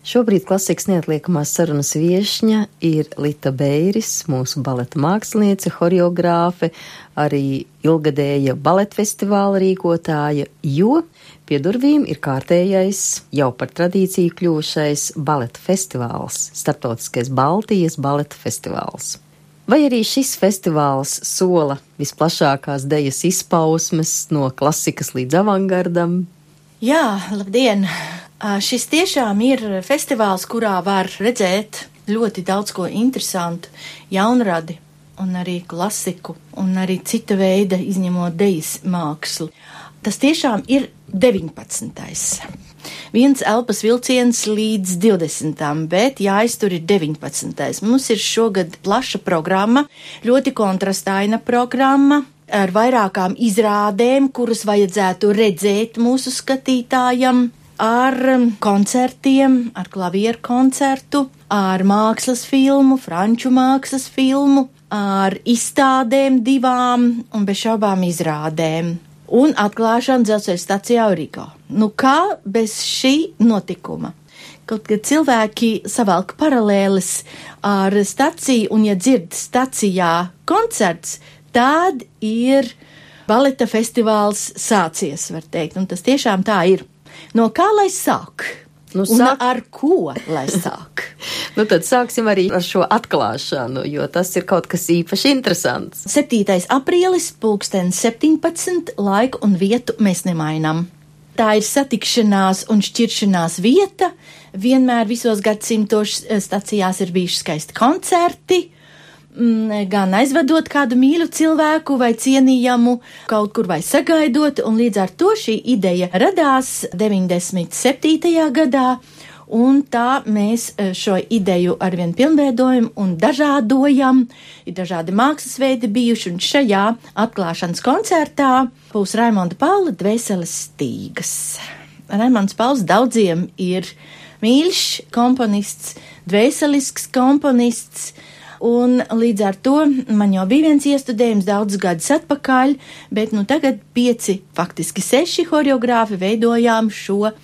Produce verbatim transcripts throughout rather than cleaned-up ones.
Šobrīd klasikas neatliekamās sarunas viešņa ir Lita Beiris, mūsu baleta māksliniece, horeogrāfe, arī ilgadēja baleta festivāla rīkotāja, jo pie durvīm ir kārtējais, jau par tradīciju kļuvušais baleta festivāls, starptautiskais Baltijas baleta festivāls. Vai arī šis festivāls sola visplašākās dejas izpausmes no klasikas līdz avangardam? Jā, labdien! Šis tiešām ir festivāls, kurā var redzēt ļoti daudz ko interesantu, jaunradi un arī klasiku un arī cita veida izņemot dejas mākslu. Tas tiešām ir deviņpadsmitais. Viens elpas vilciens līdz divdesmitam, bet jāiztur ir deviņpadsmitais. Mums ir šogad plaša programma, ļoti kontrastaina programma, ar vairākām izrādēm, kuras vajadzētu redzēt mūsu skatītājam, ar koncertiem, ar klavieru koncertu, ar mākslas filmu, franču mākslas filmu, ar izstādēm divām un bez šaubām izrādēm. Un atklāšana dzelzceļa stacijā Origo. Nu kā bez šī notikuma? Kaut kad cilvēki savalk paralēles ar staciju, un ja dzird stacijā koncerts, tad ir baleta festivāls sācies, var teikt, un tas tiešām tā ir. No kā lai sāk? Nu, un sāk... ar ko lai sāk? Nu tad sāksim arī ar šo atklāšanu, jo tas ir kaut kas īpaši interesants. septītais aprīlis, pulksten septiņpadsmit, laiku un vietu mēs nemainām. Tā ir satikšanās un šķiršanās vieta. Vienmēr visos gadsimtos stacijās ir bijuši skaisti koncerti, gan aizvedot kādu mīļu cilvēku vai cienījamu kaut kur vai sagaidot, un līdz ar to šī ideja radās deviņdesmit septītajā gadā, un tā mēs šo ideju arvien pilnveidojam un dažādojam. Ir dažādi mākslas veidi bijuši, un šajā atklāšanas koncertā būs Raimonda Paula Dvēseles stīgas. Raimonds Pauls daudziem ir mīļš komponists, dvēselisks komponists, un līdz ar to man jau bija viens iestudējums daudzus gadus atpakaļ, bet nu tagad pieci, faktiski seši horeogrāfi veidojām šo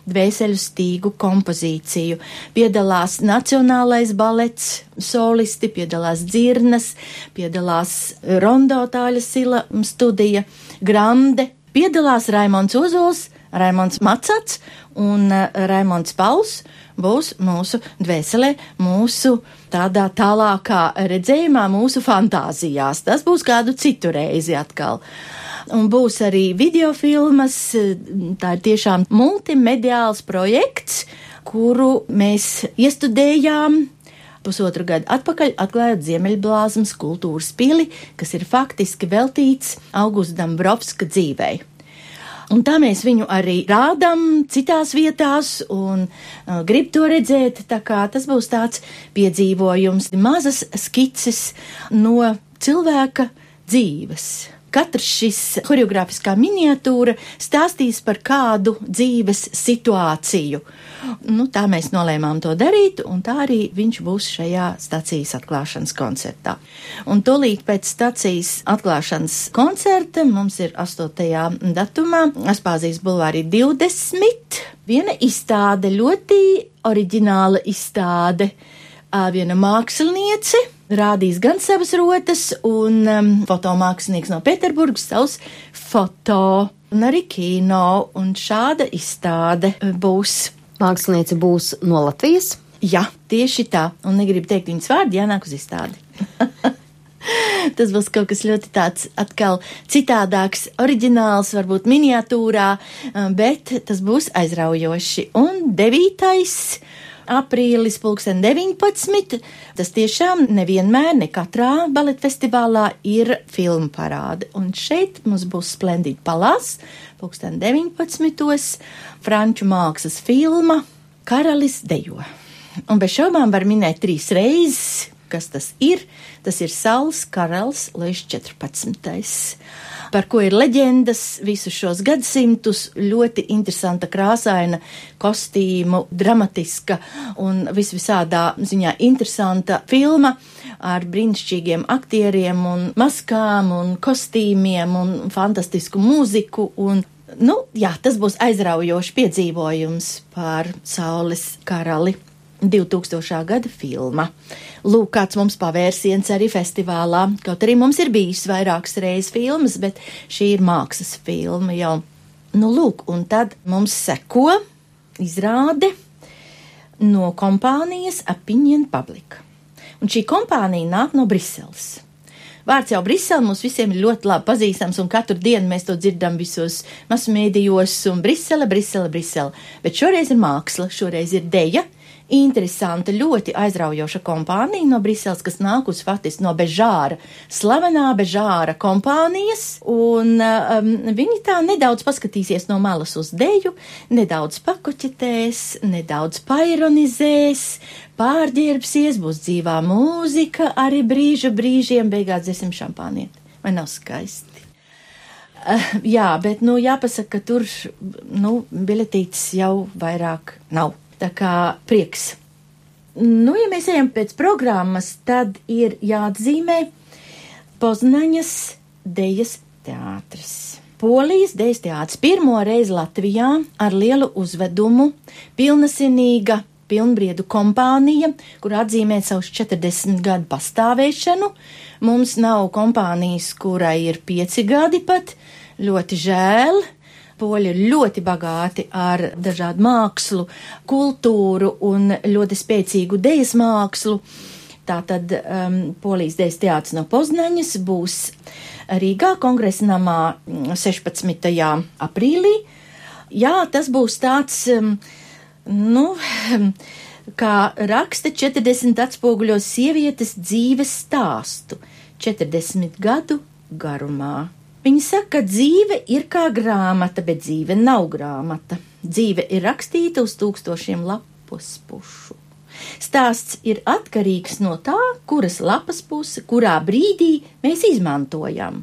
dvēseļu stīgu kompozīciju. Piedalās Nacionālais balets solisti, piedalās dzirnas, piedalās Rondo Tāļa Sila studija, Grande, piedalās Raimonds Ozols, Raimonds Macats un Raimonds Pauls būs mūsu dvēselē, mūsu tādā tālākā redzējumā, mūsu fantāzijās. Tas būs kādu citu reizi atkal. Un būs arī videofilmas, tā ir tiešām multimediāls projekts, kuru mēs iestudējām pusotru gadu atpakaļ, atklājot Ziemeļblāzmas kultūras pili, kas ir faktiski veltīts Augusta Dambrovska dzīvei. Un tā mēs viņu arī rādam citās vietās un uh, grib to redzēt, tā kā tas būs tāds piedzīvojums, mazas skices no cilvēka dzīves. Katrs šis horeogrāfiskā miniatūra stāstīs par kādu dzīves situāciju. Nu, tā mēs nolēmām to darīt, un tā arī viņš būs šajā stacijas atklāšanas koncertā. Un tūlīt pēc stacijas atklāšanas koncerta mums ir astotajā datumā Aspāzijas bulvārī divdesmit. Viena izstāde, ļoti oriģināla izstāde. Viena māksliniece rādīs gan savas rotas, un um, fotomākslinieks no Pēterburgas savus foto, un arī kino, un šāda izstāde būs. Māksliniece būs no Latvijas? Jā, tieši tā, un negribu teikt viņas vārdu, jānāk uz izstādi. Tas būs kaut kas ļoti tāds atkal citādāks, oriģināls, varbūt miniatūrā, bet tas būs aizraujoši. Un devītais aprīlis, pulksten deviņpadsmit, tas tiešām nevienmēr, ne katrā baleta festivālā ir filmu parāde. Un šeit mums būs Splendid Palās, pulksten deviņpadsmitos, franču mākslas filma Karalis dejo. Un bez šaubām var minēt trīs reizes, kas tas ir. Tas ir Saules karalis Luis četrpadsmitais. Par ko ir leģendas visus šos gadsimtus, ļoti interesanta, krāsaina kostīmu, dramatiska un visvisādā ziņā interesanta filma ar brīnišķīgiem aktieriem un maskām un kostīmiem un fantastisku mūziku un Nu, jā, tas būs aizraujošs piedzīvojums par Saules karali divtūkstošā gada filma. Lūk, kāds mums pavērsiens arī festivālā, kaut arī mums ir bijis vairākas reizes filmas, bet šī ir mākslas filma jau. Nu, lūk, un tad mums seko izrāde no kompānijas Opinion Public. Un šī kompānija nāk no Briseles. Vārds jau Brisele mums visiem ir ļoti labi pazīstams, un katru dienu mēs to dzirdam visos masmēdījos, un Brisele, Brisele, Brisele. Bet šoreiz ir māksla, šoreiz ir deja, interesanta, ļoti aizraujoša kompānija no Briseles, kas nākus faktiski no Bežāra, slavenā Bežāra kompānijas, un um, viņi tā nedaudz paskatīsies no malas uz deju, nedaudz pakoķetēs, nedaudz paironizēs, pārģērbsies, būs dzīvā mūzika, arī brīža brīžiem, beigās dzersim šampānieti. Vai nav skaisti? Uh, jā, bet, nu, jāpasaka, ka tur, nu, biļetītes jau vairāk nav. Tā kā prieks. Nu, ja mēs ejam pēc programmas, tad ir jāatzīmē Poznaņas dejas teātris. Polijas dejas teātris pirmo reizi Latvijā ar lielu uzvedumu, pilnasinīga, pilnbriedu kompānija, kur atzīmē savus četrdesmit gadu pastāvēšanu. Mums nav kompānijas, kurai ir pieci gadi pat, ļoti žēl. Poļi ir ļoti bagāti ar dažādu mākslu, kultūru un ļoti spēcīgu dejas mākslu. Tātad um, Polijas dejas teātris no Poznaņas būs Rīgā kongresa namā sešpadsmitajā aprīlī. Jā, tas būs tāds, um, nu, kā raksta četrdesmit atspoguļos sievietes dzīves stāstu, četrdesmit gadu garumā. Viņi saka, ka dzīve ir kā grāmata, bet dzīve nav grāmata. Dzīve ir rakstīta uz tūkstošiem lapus pušu. Stāsts ir atkarīgs no tā, kuras lapas puse, kurā brīdī mēs izmantojam.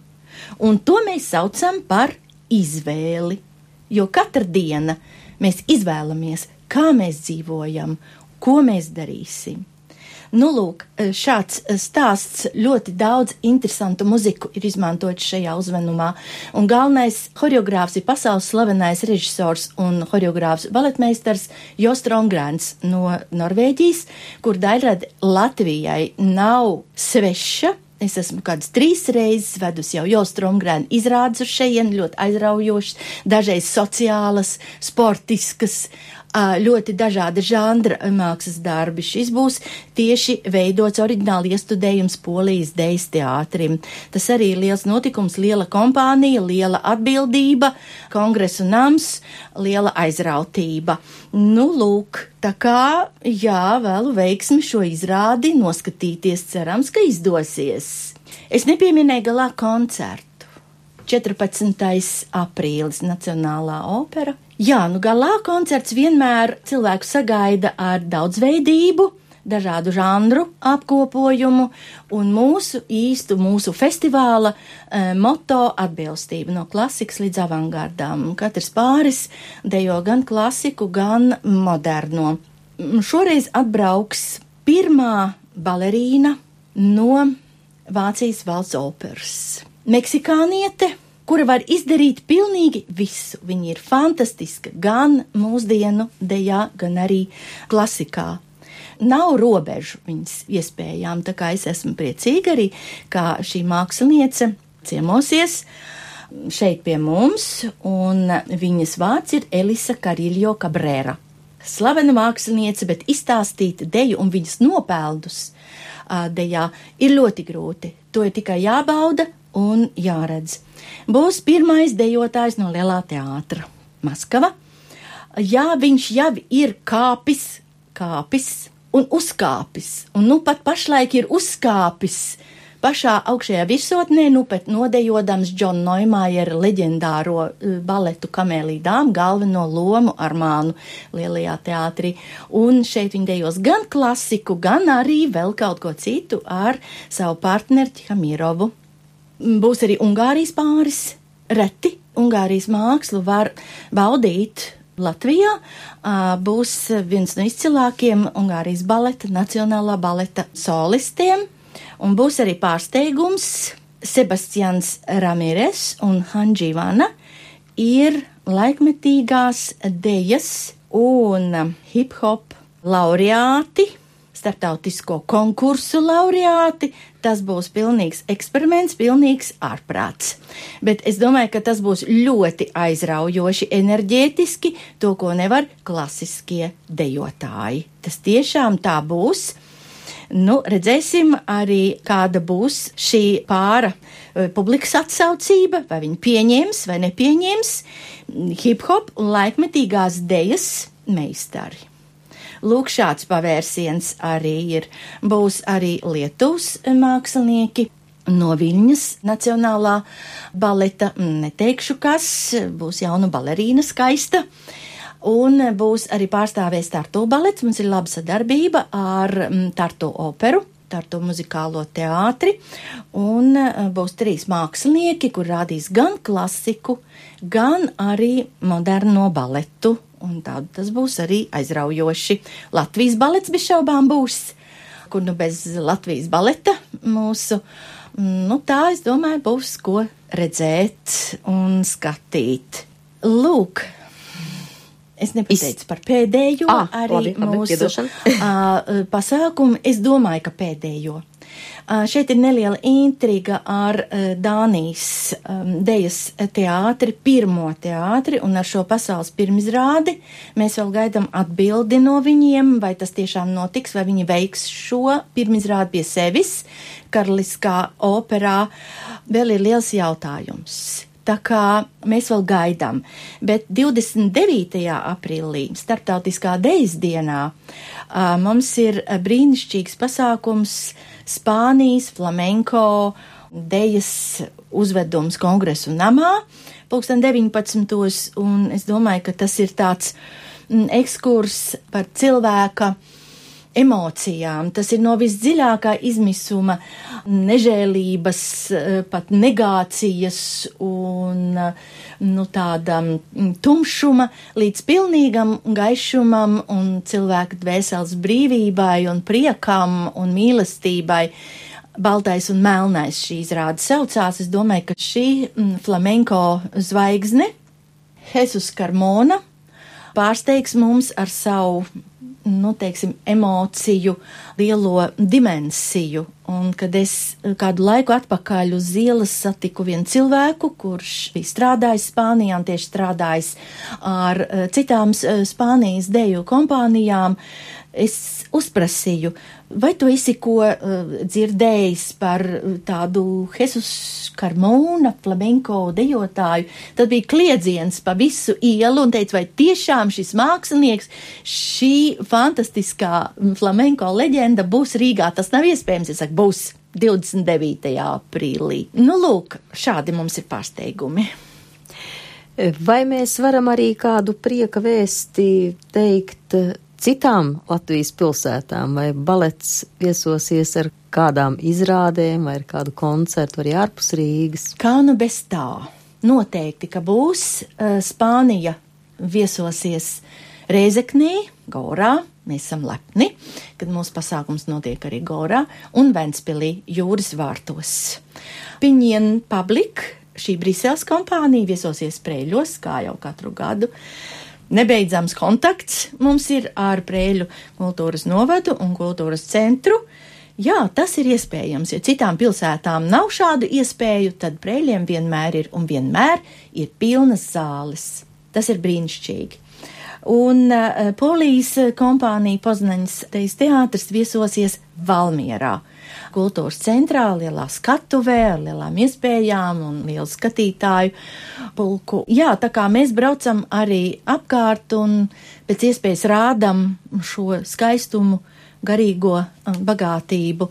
Un to mēs saucam par izvēli. Jo katra diena mēs izvēlamies, kā mēs dzīvojam, ko mēs darīsim. Nu, lūk, šāds stāsts, ļoti daudz interesantu muziku ir izmantots šajā uzvedumā, un galvenais horeogrāfs ir pasaules slavenais režisors un horeogrāfs baletmeistars Jo Strongrēns no Norvēģijas, kur daļrada Latvijai nav sveša. Es esmu kādas trīs reizes vedus jau Jo Strongrēnu izrādes uz šeien, ļoti aizraujošas, dažreiz sociālas, sportiskas, ļoti dažāda žanra mākslas darbi. Šis būs tieši veidots oriģināli iestudējums Polijas dejas teātrim. Tas arī ir liels notikums, liela kompānija, liela atbildība, kongresu nams, liela aizrautība. Nu, lūk, tā kā, jā, vēlu veiksmi šo izrādi noskatīties, cerams, ka izdosies. Es nepieminēju galā koncertu. četrpadsmitais aprīlis Nacionālā opera. Jā, nu galā koncerts vienmēr cilvēku sagaida ar daudzveidību, dažādu žanru apkopojumu un mūsu īstu, mūsu festivāla e, moto atbilstība no klasikas līdz avangardām. Katrs pāris dejo gan klasiku, gan moderno. Šoreiz atbrauks pirmā balerīna no Vācijas valsts operas. Meksikāniete, kura var izdarīt pilnīgi visu. Viņa ir fantastiska gan mūsdienu dejā, gan arī klasikā. Nav robežu viņas iespējām, tā kā es esmu priecīga arī, kā šī māksliniece ciemosies šeit pie mums, un viņas vārds ir Elisa Kariljo Cabrera. Slavena māksliniece, bet izstāstīt deju un viņas nopelnus dejā ir ļoti grūti. To ir tikai jābauda un jāredz. Būs pirmais dejotājs no Lielā teātra Maskava. Jā, viņš jau ir kāpis, kāpis un uzkāpis. Un nu pat pašlaik ir uzkāpis pašā augšējā virsotnē, nu pat nodejodams Džona Noimājera leģendāro baletu Kamēlija dāma galveno lomu Armānu Lielajā teātrī. Un šeit viņi dejos gan klasiku, gan arī vēl kaut ko citu ar savu partneri Tihamirovu. Būs arī Ungārijas pāris. Reti Ungārijas mākslu var baudīt Latvijā. Būs viens no izcilākiem Ungārijas baleta, nacionālā baleta solistiem. Un būs arī pārsteigums. Sebastians Ramirez un Hanģi Vana ir laikmetīgās dejas un hip-hop laureāti, starptautisko konkursu laureāti. Tas būs pilnīgs eksperiments, pilnīgs ārprāts. Bet es domāju, ka tas būs ļoti aizraujoši enerģētiski, to, ko nevar klasiskie dejotāji. Tas tiešām tā būs. Nu, redzēsim arī, kāda būs šī pāra publikas atsaucība, vai viņi pieņems vai nepieņems hip-hop un laikmetīgās dejas meistari. Lūk, šāds pavērsiens arī ir. Būs arī Lietuvas mākslinieki no Viļņas Nacionālā baleta, neteikšu kas, būs jauna balerīna skaista. Un būs arī pārstāvēs Tartu balets, mums ir laba sadarbība ar Tartu operu, Tartu muzikālo teātri, un būs trīs mākslinieki, kur rādīs gan klasiku, gan arī moderno baletu. Un tādu tas būs arī aizraujoši. Latvijas balets bez šaubām būs, kur nu bez Latvijas baleta mūsu, nu tā, es domāju, būs ko redzēt un skatīt. Lūk, es nepateicu par pēdējo ah, arī labi, labi, mūsu uh, pasākumu. Es domāju, ka pēdējo. Uh, šeit ir neliela intriga ar uh, Dānijas um, dejas teātri, pirmo teātri, un ar šo pasaules pirmizrādi mēs vēl gaidām atbildi no viņiem, vai tas tiešām notiks, vai viņi veiks šo pirmizrādi pie sevis. Karaliskā operā vēl ir liels jautājums. Tā kā mēs vēl gaidām, bet divdesmit devītajā aprīlī, Starptautiskā dejas dienā, uh, mums ir brīnišķīgs pasākums Spānijas flamenko dejas uzvedums Kongresu namā, pulksten deviņpadsmitos, un es domāju, ka tas ir tāds mm, ekskurs par cilvēka emocijām. Tas ir no visdziļākā izmisuma, nežēlības, pat negācijas un nu, tāda tumšuma līdz pilnīgam gaišumam un cilvēka dvēseles brīvībai un priekam un mīlestībai. Baltais un melnais šī izrāde saucās. Es domāju, ka šī flamenko zvaigzne, Jesus Carmona, pārsteigs mums ar savu nu, teiksim, emociju lielo dimensiju. Un kad es kādu laiku atpakaļ uz ielas satiku vienu cilvēku, kurš bija strādājis Spānijā un tieši strādājis ar citām Spānijas deju kompānijām, es uzprasīju, vai tu esi ko uh, dzirdējis par tādu Jesus Carmona flamenko dejotāju? Tad bija kliedziens pa visu ielu un teica, vai tiešām šis mākslinieks, šī fantastiskā flamenko leģenda būs Rīgā? Tas nav iespējams, es saku, būs divdesmit devītajā aprīlī. Nu, lūk, šādi mums ir pārsteigumi. Vai mēs varam arī kādu prieka vēsti teikt citām Latvijas pilsētām, vai balets viesosies ar kādām izrādēm, vai ar kādu koncertu, arī ārpus Rīgas? Kā nu bez tā? Noteikti, ka būs. Spānija viesosies Rēzeknē, Gorā, mēs esam lepni, kad mūsu pasākums notiek arī Gorā, un Ventspilī jūras vārtos. Piņien Public, šī Briseles kompānija, viesosies Prēļos, kā jau katru gadu. Nebeidzams kontakts mums ir ar Prēļu kultūras novadu un kultūras centru. Jā, tas ir iespējams, ja citām pilsētām nav šādu iespēju, tad Prēļiem vienmēr ir un vienmēr ir pilnas zāles. Tas ir brīnišķīgi. Un uh, Polijas kompānija Poznaņas dejas teātris viesosies Valmierā. Kultūras centrā, lielā skatuvē, ar lielām iespējām un lielu skatītāju pulku. Jā, tā kā mēs braucam arī apkārt un pēc iespējas rādam šo skaistumu, garīgo bagātību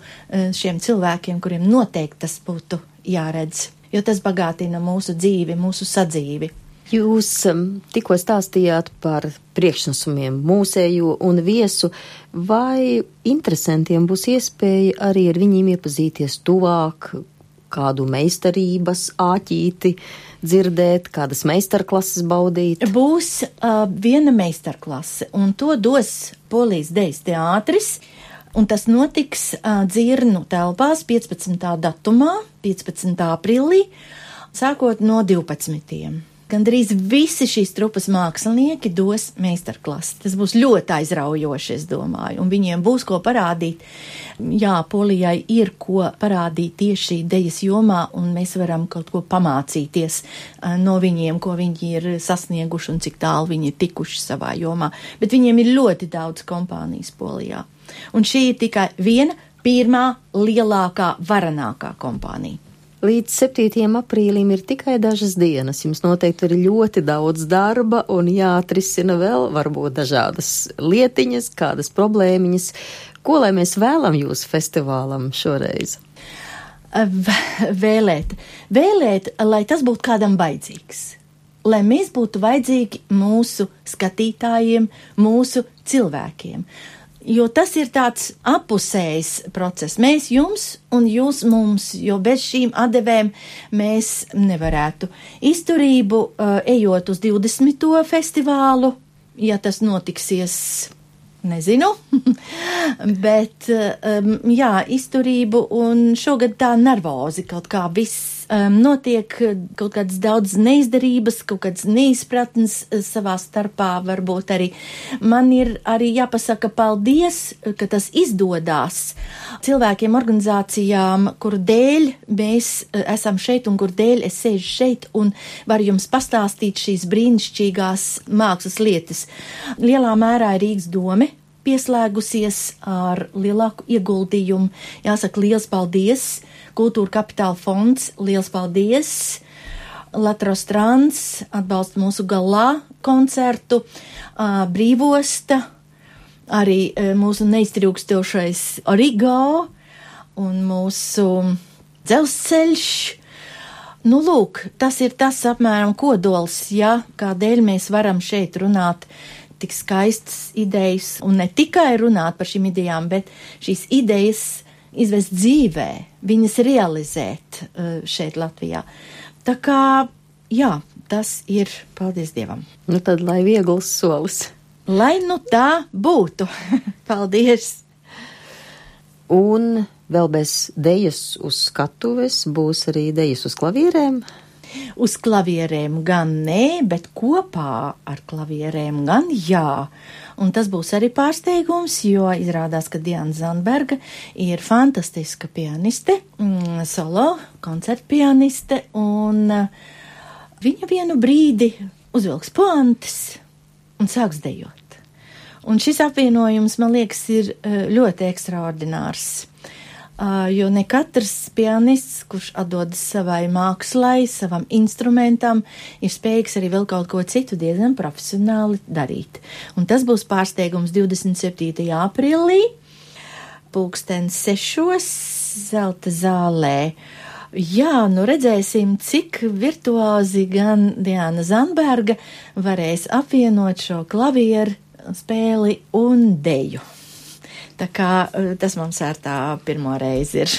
šiem cilvēkiem, kuriem noteikti tas būtu jāredz, jo tas bagātina mūsu dzīvi, mūsu sadzīvi. Jūs um, tikko stāstījāt par priekšnesumiem mūsējo un viesu, vai interesantiem būs iespēja arī ar viņiem iepazīties tuvāk, kādu meistarības āķīti dzirdēt, kādas meistarklases baudīt? Būs uh, viena meistarklase, un to dos Polijas dejas teātris, un tas notiks uh, Dzirnu telpās piecpadsmitā datumā, piecpadsmitā aprīlī, sākot no divpadsmitiem. Gandrīz visi šīs trupas mākslinieki dos meistarklasi. Tas būs ļoti aizraujoši, es domāju, un viņiem būs ko parādīt. Jā, Polijai ir ko parādīt tieši dejas jomā, un mēs varam kaut ko pamācīties no viņiem, ko viņi ir sasnieguši un cik tālu viņi ir tikuši savā jomā. Bet viņiem ir ļoti daudz kompānijas Polijā. Un šī ir tikai viena, pirmā, lielākā, varenākā kompānija. Līdz septītajam aprīlim ir tikai dažas dienas. Jums noteikti ir ļoti daudz darba un jāatrisina vēl varbūt dažādas lietiņas, kādas problēmiņas. Ko lai mēs vēlam jūsu festivālam šoreiz? Vēlēt. Vēlēt, lai tas būtu kādam baidzīgs. Lai mēs būtu vajadzīgi mūsu skatītājiem, mūsu cilvēkiem. Jo tas ir tāds apusējs process. Mēs jums un jūs mums, jo bez šīm atdevēm mēs nevarētu. Izturību, uh, ejot uz divdesmito festivālu, ja tas notiksies, nezinu, bet um, jā, izturību un šogad tā nervozi kaut kā viss um, notiek, kaut kādas daudz neizdarības, kaut kādas neizpratnes savā starpā varbūt arī. Man ir arī jāpasaka paldies, ka tas izdodās cilvēkiem, organizācijām, kur dēļ mēs esam šeit un kur dēļ es sēžu šeit un varu jums pastāstīt šīs brīnišķīgās mākslas lietas. Lielā mērā ir Rīgas dome pieslēgusies ar lielāku ieguldījumu. Jāsaka, liels paldies, Kultūra Kapitāla fonds, liels paldies, Latros Trans atbalsta mūsu galā koncertu, Brīvosta, arī mūsu neiztrūkstošais Origo un mūsu dzelzceļš. Nu, lūk, tas ir tas apmēram kodols, ja kādēļ mēs varam šeit runāt tik skaistas idejas, un ne tikai runāt par šīm idejām, bet šīs idejas izvest dzīvē, viņas realizēt šeit Latvijā. Tā kā, jā, tas ir, paldies Dievam. Nu tad, lai viegls solis. Lai nu tā būtu. Paldies. Un vēl bez dejas uz skatuves būs arī dejas uz klavierēm? Uz klavierēm gan nē, bet kopā ar klavierēm gan jā. Un tas būs arī pārsteigums, jo izrādās, ka Diana Zandberga ir fantastiska pianiste, mm, solo koncertpianiste, un viņa vienu brīdi uzvilks puantes un sāks dejot. Un šis apvienojums, man liekas, ir ļoti ekstraordinārs. Uh, jo ne katrs pianists, kurš atdodas savai mākslai, savam instrumentam, ir spējīgs arī vēl kaut ko citu diezgan profesionāli darīt. Un tas būs pārsteigums divdesmit septītajā aprīlī, pulkstens sešos, Zelta zālē. Jā, nu redzēsim, cik virtuozi gan Diana Zandberga varēs apvienot šo klavieru spēli un deju. Tā kā tas mums ar tā pirmo reizi ir.